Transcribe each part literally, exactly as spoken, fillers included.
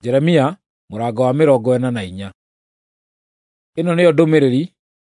Jeremia mũrango wa mĩrongo ĩna na inya. Ĩno nĩyo ndũmĩrĩri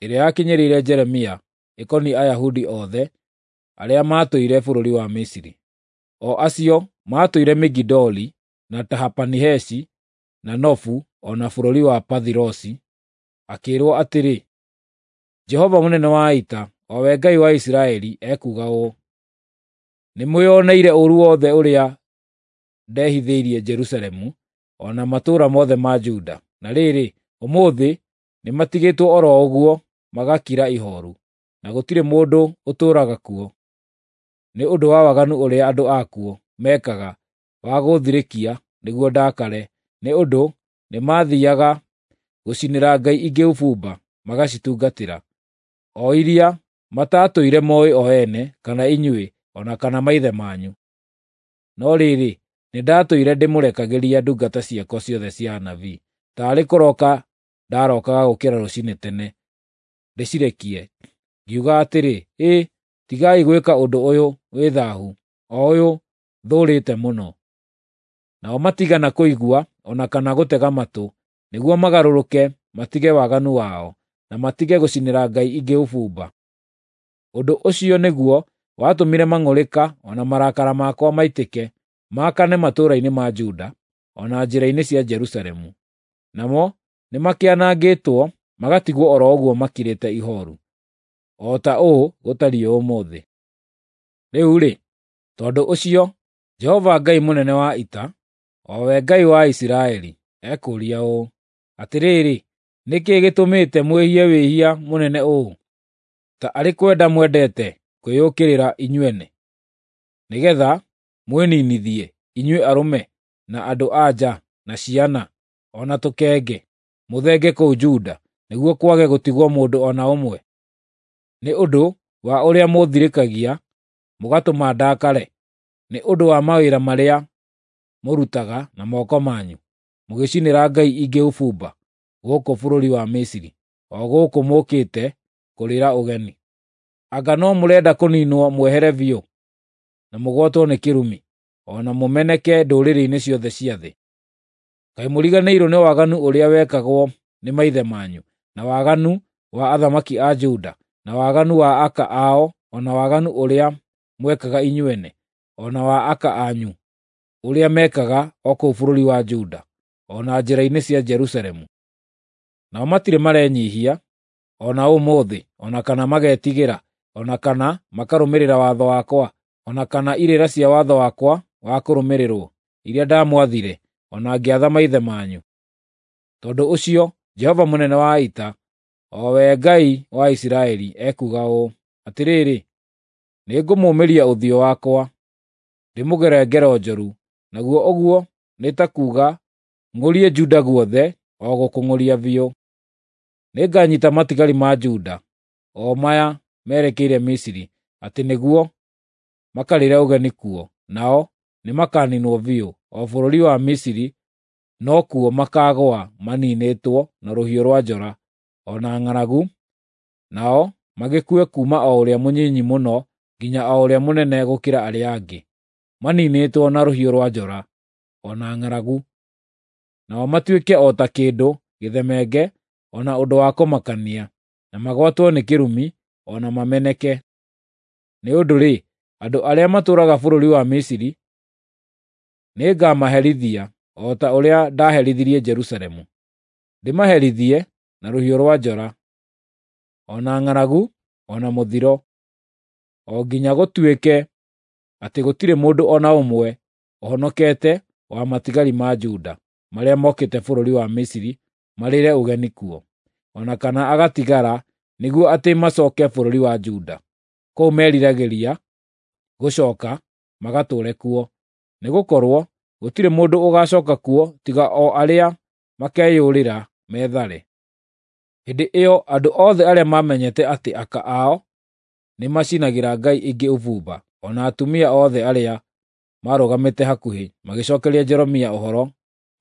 ĩrĩa yakinyĩrĩire Jeremia ĩkoniĩ Ayahudi othe arĩa maatũire bũrũri wa Misiri, o acio maatũire Migidoli, na Tahapanihesi, na Nofu o na bũrũri wa Pathirosi, akĩĩrwo atĩrĩ, “Jehova mũnene wa ita, o we Ngai wa Isiraeli, ekuuga ũũ: Nĩmwĩoneire ũũru wothe ũrĩa ndehithĩirie Jerusalemu o na matũũra mothe ma Juda. Na rĩrĩ, ũmũthĩ nĩmatigĩtwo o ro ũguo magakira ihooru, na gũtirĩ mũndũ ũtũũraga kuo, nĩ ũndũ wa waganu ũrĩa andũ akuo meekaga wa gũũthirĩkia nĩguo ndakare, nĩ ũndũ nĩmathiiaga gũcinĩra ngai ingĩ ũbumba magacitungatĩra, o iria mataatũire mooĩ o ene, kana inyuĩ, o na kana maithe manyu. No rĩrĩ, nĩndatũire ndĩmũrekagĩria ndungata ciakwa ciothe cia anabii, taarĩ kũroka ndarokaga gũũkĩra rũciinĩ tene ndĩcirekie, ngiuga atĩrĩ, ‘Ĩ, tigai gwĩka ũndũ ũyũ wĩ thaahu, o ũyũ thũũrĩte mũno.’ Nao matiigana kũigua o na kana gũtega matũ, nĩguo magarũrũke matige waganu wao, na matige gũcinĩra ngai ingĩ ũbumba. Ũndũ ũcio nĩguo watũmire mang'ũrĩka o na marakara makwa maitĩke, maakane matũũra-inĩ ma Juda, o na njĩra-inĩ cia Jerusalemu. Namo nĩmakĩanangĩtwo magatigwo o ro ũguo makirĩte ihooru, o ta ũũ gũtariĩ ũmũthĩ. Rĩu-rĩ, tondũ ũcio, Jehova Ngai mũnene wa ita, o we Ngai wa Isiraeli, ekũũria ũũ: Atĩrĩrĩ, nĩ kĩĩ gĩtũmĩte mwĩhie wĩhia mũnene ũũ, ta arĩ kwenda mwendete kwĩyũkĩrĩra inyuene, nĩgeetha mwĩninithie, inyuĩ arũme, na andũ-a-nja, na ciana, o na tũkenge, mũthenge kũu Juda, nĩguo kwage gũtigwo mũndũ o na ũmwe? Nĩ ũndũ wa ũrĩa mũũthirĩkagia mũgatũma ndakare, nĩ ũndũ wa mawĩra marĩa mũrutaga na moko manyu, mũgĩcinĩra ngai ingĩ ũbumba gũkũ bũrũri wa Misiri, o gũkũ mũũkĩte kũrĩĩra ũgeni. Anga no mũrenda kũniinwo mwehere biũ, na mũgwatwo nĩ kĩrumi, o na mũmeneke ndũrĩrĩ-inĩ ciothe cia thĩ? Kaĩ mũriganĩirwo nĩ waganu ũrĩa wekagwo nĩ maithe manyu, na waganu wa athamaki a Juda, na waganu wa aka ao, o na waganu ũrĩa mwekaga inyuene, o na wa aka anyu, ũrĩa meekaga o kũu bũrũri wa Juda, o na njĩra-inĩ cia Jerusalemu? Nao matirĩ marenyiihia o na ũmũthĩ, o na kana magetigĩra, o na kana makarũmĩrĩra watho wakwa, o na kana irĩra cia watho wakwa wa kũrũmĩrĩrwo, iria ndamwathire, o na ngĩatha maithe manyu. Tondũ ũcio Jehova mũnene wa ita, o we Ngai wa Isiraeli, ekuuga ũũ: Atĩrĩrĩ, nĩngũmũũmĩria ũthiũ wakwa, ndĩmũgere ngero njũru, naguo ũguo nĩ ta kuuga ng'ũrie Juda guothe, o gũkũng'ũria biũ. Nĩnganyiita matigari ma Juda, o maya merekeire Misiri, atĩ nĩguo makarĩĩre ũgeni kuo, nao nĩmakaniinwo biũ, o bũrũri wa Misiri nokuo makaagũa maniinĩtwo na rũhiũ rwa njora, o na ng'aragu, nao magĩkue kuuma o ũrĩa mũnyinyi mũno nginya o ũrĩa mũnene gũkĩra arĩa angĩ, maniinĩtwo na rũhiũ rwa njora, o na ng'aragu. Nao matuĩke o ta kĩndũ gĩthemenge o na ũndũ wa kũmakania, na magwatwo nĩ kĩrumi, o na mameneke. Nĩ ũndũ-rĩ, andũ arĩa matũũraga bũrũri wa Misiri nĩngamaherithia o ta ũrĩa ndaaherithirie Jerusalemu, ndĩmaherithie na rũhiũ rwa njora, o na ng'aragu, o na mũthiro, o nginya gũtuĩke atĩ gũtirĩ mũndũ o na ũmwe ũhonokete wa matigari ma Juda marĩa mokĩte bũrũri wa Misiri marĩĩre ũgeni kuo, o na kana agatigara nĩguo atĩ macooke bũrũri wa Juda, kũu meriragĩria gũcooka magatũũre kuo, nĩgũkorwo gũtirĩ mũndũ ũgaacooka kuo tiga o arĩa makeyũrĩra methare. Hĩndĩ ĩyo andũ othe arĩa maamenyete atĩ aka ao nĩmacinagĩra ngai ingĩ ũbumba, o na atumia othe arĩa maarũgamĩte hakuhĩ, magĩcookeria Jeremia ũhoro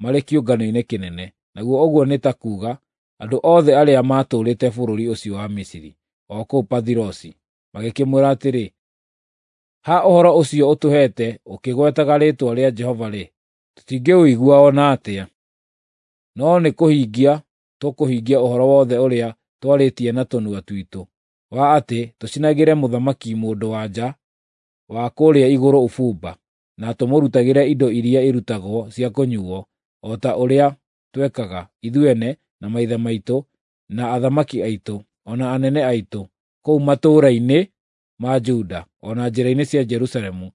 marĩ kĩũngano-inĩ kĩnene, naguo ũguo nĩ ta kuuga andũ othe arĩa maatũũrĩte bũrũri ũcio wa Misiri, o kũu Pathirosi, magĩkĩmwĩra atĩrĩ, “Ha ũhoro ũcio ũtũheete ũkĩgwetaga rĩĩtwa rĩa Jehova-rĩ, Tũtingĩũigua o na atĩa. No nĩ kũhingia tũkũhingia ũhoro wothe ũrĩa twarĩtie na tũnua twitũ, wa atĩ tũcinagĩre mũthamaki mũndũ-wa-nja wa kũrĩa igũrũ ũbumba, na tũmũrutagĩre indo iria irutagwo cia kũnyuuo, o ta ũrĩa twekaga, ithuene, na maithe maitũ, na athamaki aitũ, o na anene aitũ, kũu matũũra-inĩ ma Juda, o na njĩra-inĩ cia Jerusalemu.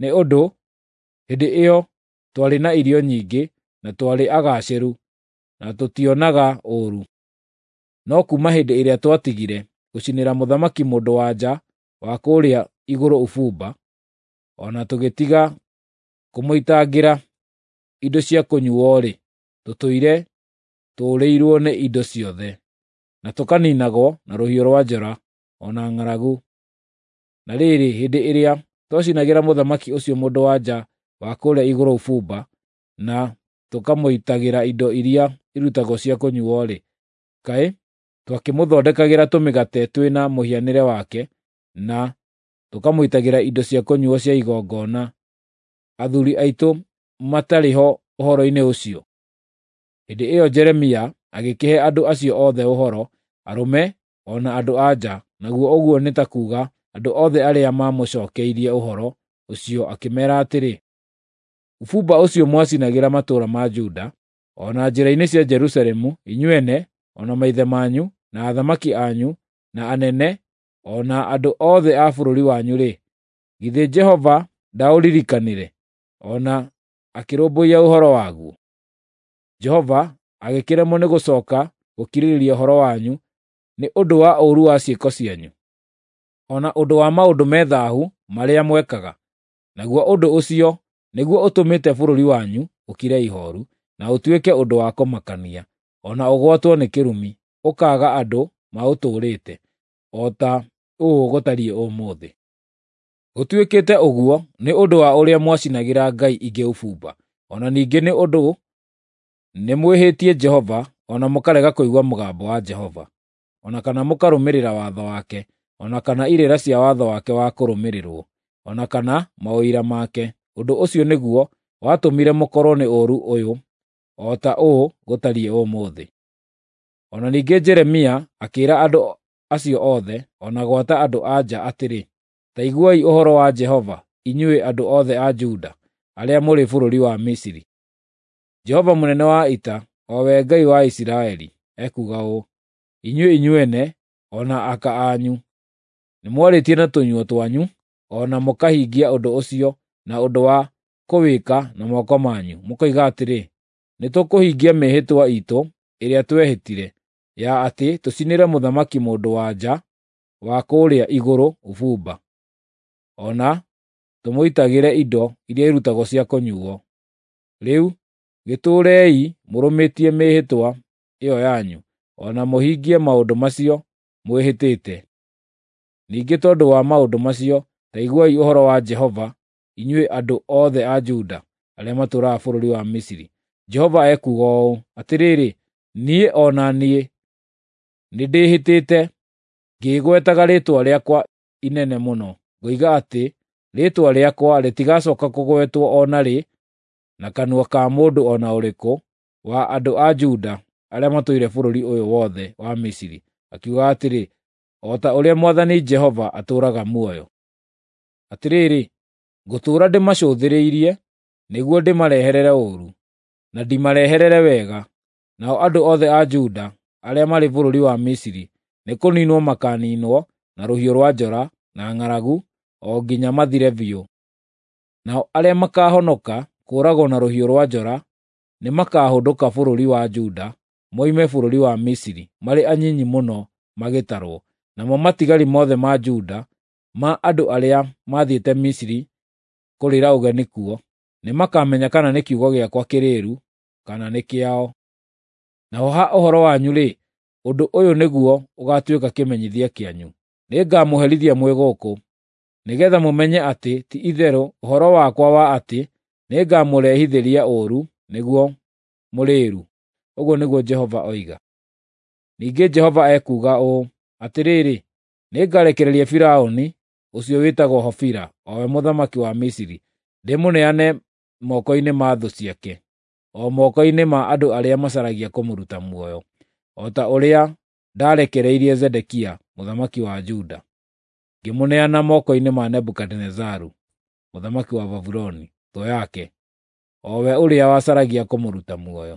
Nĩ ũndũ hĩndĩ ĩyo twarĩ na irio nyingĩ, na twarĩ agaacĩru, na tũtionaga ũũru. No kuuma hĩndĩ ĩrĩa twatigire gũcinĩra mũthamaki mũndũ-wa-nja wa kũrĩa igũrũ ũbumba, o na tũgĩtiga kũmũitangĩra indo cia kũnyuuo-rĩ, tũtũire tũũrĩirwo nĩ indo ciothe, na tũkaniinagwo na rũhiũ rwa njora, o na ng'aragu. Na rĩrĩ, hĩndĩ ĩrĩa twacinagĩra mũthamaki ũcio mũndũ-wa-nja wa kũrĩa igũrũ ũbumba, na tũkamũitagĩra indo iria irutagwo cia kũnyuuo-rĩ, kaĩ twakĩmũthondekagĩra tũmĩgate twĩna mũhianĩre wake, na tũkamũitagĩra indo cia kũnyuuo cia igongona, athuuri aitũ matarĩ ho ũhoro-inĩ ũcio? Hĩndĩ ĩyo Jeremia agĩkĩhe andũ acio othe ũhoro, arũme o na andũ-a-nja, naguo ũguo nĩ ta kuuga andũ othe arĩa maamũcookeirie ũhoro ũcio, akĩmeera atĩrĩ, “Ũbumba ũcio mwacinagĩra matũũra ma Juda, o na njĩra-inĩ cia Jerusalemu, inyuene, o na maithe manyu, na athamaki anyu, na anene, o na andũ othe a bũrũri wanyu-rĩ, githĩ Jehova ndaũririkanire, o na akĩrũmbũiya ũhoro waguo? Jehova agĩkĩremwo nĩ gũcooka gũkirĩrĩria ũhoro wanyu nĩ ũndũ wa ũũru wa ciĩko cianyu, o na ũndũ wa maũndũ me thaahu marĩa mwekaga. Naguo ũndũ ũcio nĩguo ũtũmĩte bũrũri wanyu ũkire ihooru, na ũtuĩke ũndũ wa kũmakania, o na ũgwatwo nĩ kĩrumi, ũkaaga andũ maũtũũrĩte, o ta ũũ gũtariĩ ũmũthĩ. Gũtuĩkĩte ũguo nĩ ũndũ wa ũrĩa mwacinagĩra ngai ingĩ ũbumba, o na ningĩ nĩ ũndũ nĩmwĩhĩtie Jehova, o na mũkarega kũigua mũgambo wa Jehova, o na kana mũkarũmĩrĩra watho wake, o na kana irĩra cia watho wake wa kũrũmĩrĩrwo, o na kana maũira make. Ũndũ ũcio nĩguo watũmire mũkorwo nĩ ũũru ũyũ, o ta ũũ gũtariĩ ũmũthĩ.” O na ningĩ Jeremia akĩĩra andũ acio othe, o na gwata andũ-a-nja atĩrĩ, “Ta iguai ũhoro wa Jehova, inyuĩ andũ othe a Juda arĩa mũrĩ bũrũri wa Misiri. Jehova mũnene wa ita, o we Ngai wa Isiraeli, ekuuga ũũ: Inyuĩ inyuene, o na aka anyu, nĩmwarĩtie na tũnua twanyu, o na mũkahingia ũndũ ũcio na ũndũ wa kũwĩka na moko manyu, mũkoiga atĩrĩ, ‘Nĩtũkũhingia mĩĩhĩtwa iitũ ĩrĩa twehĩtire, ya atĩ tũcinĩre mũthamaki mũndũ-wa-nja wa kũrĩa igũrũ ũbumba, o na tũmũitagĩre indo iria irutagwo cia kũnyuuo.’ Rĩu gĩtũũrei mũrũmĩtie mĩĩhĩtwa ĩyo yanyu, o na mũhingie maũndũ macio mwĩhĩtĩte. Ningĩ tondũ wa maũndũ macio, ta iguai ũhoro wa Jehova, inyuĩ andũ othe a Juda arĩa matũũraga bũrũri wa Misiri. Jehova ekuuga ũũ: Atĩrĩrĩ, niĩ o na niĩ nĩndĩhĩtĩte ngĩĩgwetaga rĩĩtwa rĩakwa inene mũno, ngoiga atĩ rĩĩtwa rĩakwa rĩtigacooka kũgwetwo o na rĩ na kanua ka mũndũ o na ũrĩkũ wa andũ a Juda arĩa matũire bũrũri ũyũ wothe wa Misiri, akiuga atĩrĩ, ‘O ta ũrĩa Mwathani Jehova atũũraga muoyo.’ Atĩrĩrĩ, ngũtũũra ndĩmacũthĩrĩirie nĩguo ndĩmarehere ũũru, na ndimarehere wega. Nao andũ othe a Juda arĩa marĩ bũrũri wa Misiri nĩkũniinwo makaaniinwo na rũhiũ rwa njora na ng'aragu, o nginya mathire biũ. Nao arĩa makaahonoka kũũragwo na rũhiũ rwa njora nĩmakahũndũka bũrũri wa Juda moime bũrũri wa Misiri marĩ anyinyi mũno magĩtarwo. Namo matigari mothe ma Juda, ma andũ arĩa maathiĩte Misiri kũrĩĩra ũgeni kuo, nĩmakamenya kana nĩ kiugo gĩakwa kĩrĩĩru kana nĩ kĩao. Naho ha ũhoro wanyu-rĩ, ũndũ ũyũ nĩguo ũgaatuĩka kĩmenyithia kĩanyu: Nĩngamũherithia mwĩ gũkũ, nĩgeetha mũmenye atĩ ti-itherũ ũhoro wakwa wa atĩ nĩngamũrehithĩria ũũru nĩguo mũrĩĩru, ũguo nĩguo Jehova oiga. Ningĩ Jehova ekuuga ũũ: Atĩrĩrĩ, nĩngarekereria Firaũni ũcio wĩtagwo Hofira, o we mũthamaki wa Misiri, ndĩmũneane moko-inĩ ma thũ ciake, o moko-inĩ ma andũ arĩa macaragia kũmũruta muoyo, o ta ũrĩa ndaarekereirie Zedekia mũthamaki wa Juda, ngĩmũneana moko-inĩ ma Nebukadinezaru mũthamaki wa Babuloni, thũ yake, o we ũrĩa wacaragia kũmũruta muoyo.